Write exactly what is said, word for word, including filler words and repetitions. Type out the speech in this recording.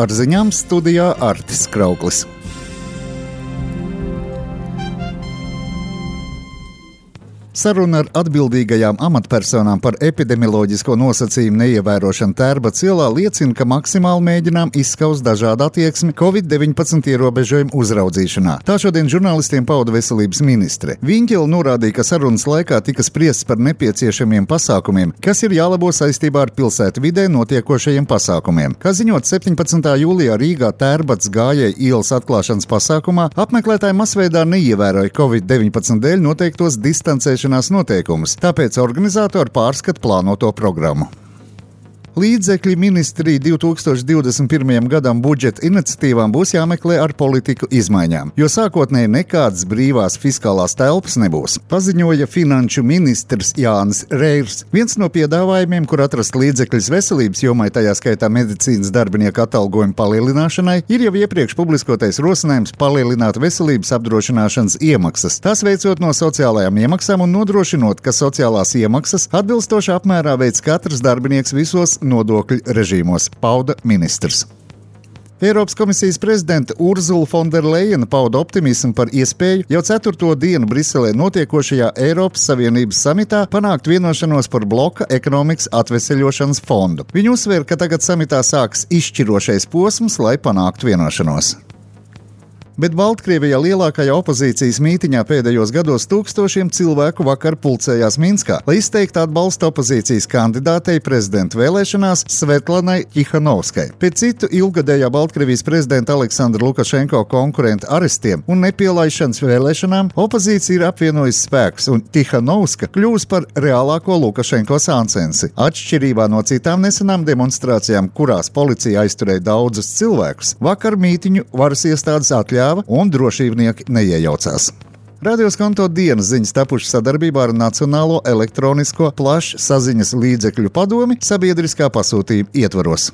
Ar ziņām studijā Artis Krauklis. Saruna ar atbildīgajām amatpersonām par epidemioloģisko nosacījumu neievērošanu Tērbatas ielā liecina, ka maksimāli mēģinām izskaust dažādu attieksmi covid deviņpadsmit ierobežojumu uzraudzīšanā. Tā šodien žurnālistiem pauda veselības ministre. Viņķele norādīja, ka sarunas laikā tika spriests par nepieciešamiem pasākumiem, kas ir jālabo saistībā ar pilsētu vidē notiekošajiem pasākumiem. Kā ziņot septiņpadsmitā jūlijā Rīgā Tērbatas gājēju ielas atklāšanas pasākumā, apmeklētāji masveidā neievēroja covid deviņpadsmit dēļ noteiktos distancēšanās noteikumus, tāpēc organizatori pārskata plānoto programmu. Līdzekļi ministrija divi tūkstoši divdesmit pirmajam gadam budžeta iniciatīvām būs jāmeklē ar politiku izmaiņām, jo sākotnēji nekādas brīvās fiskālās telpas nebūs, paziņoja finanšu ministrs Jānis Reirs. Viens no piedāvājumiem, kur atrast līdzekļus veselības jomai, tajā skaitā medicīnas darbinieku atalgojuma palielināšanai, ir jau iepriekš publiskotais rosinājums palielināt veselības apdrošināšanas iemaksas, tās veicot no sociālajām iemaksām un nodrošinot, ka sociālās iemaksas atbilstoši apmērā veic katrs darbinieks visos nodokļu režīmos, pauda ministrs. Eiropas komisijas prezidente Urzula Fonderlejena pauda optimismu par iespēju jau ceturto dienu Briselē notiekošajā Eiropas Savienības samitā panākt vienošanos par bloka ekonomikas atveseļošanas fondu. Viņa uzsver, ka tagad samitā sāks izšķirošais posms, lai panāktu vienošanos. Bet Baltkrievijā lielākajā opozīcijas mītiņā pēdējos gados tūkstošiem cilvēku vakar pulcējās Minskā, lai izteiktu atbalstu opozīcijas kandidātei prezidenta vēlēšanās Svetlanai Tihanovskai. Pēc citu ilgadējā Baltkrievijas prezidenta Aleksandra Lukašenko konkurenta arestiem un nepielaišanas vēlēšanām opozīcija ir apvienojusi spēkus, un Tihanovska kļūs par reālāko Lukašenko sāncensi. Atšķirībā no citām nesenām demonstrācijām, kurās policija aizturēja daudzus cilvēkus, vakar mītiņu varas iestādes atļāva un drošībnieki neiejaucās. Radio Skanto dienas ziņas tapušas sadarbībā ar Nacionālo elektronisko plašsaziņas līdzekļu padomi sabiedriskā pasūtījuma ietvaros.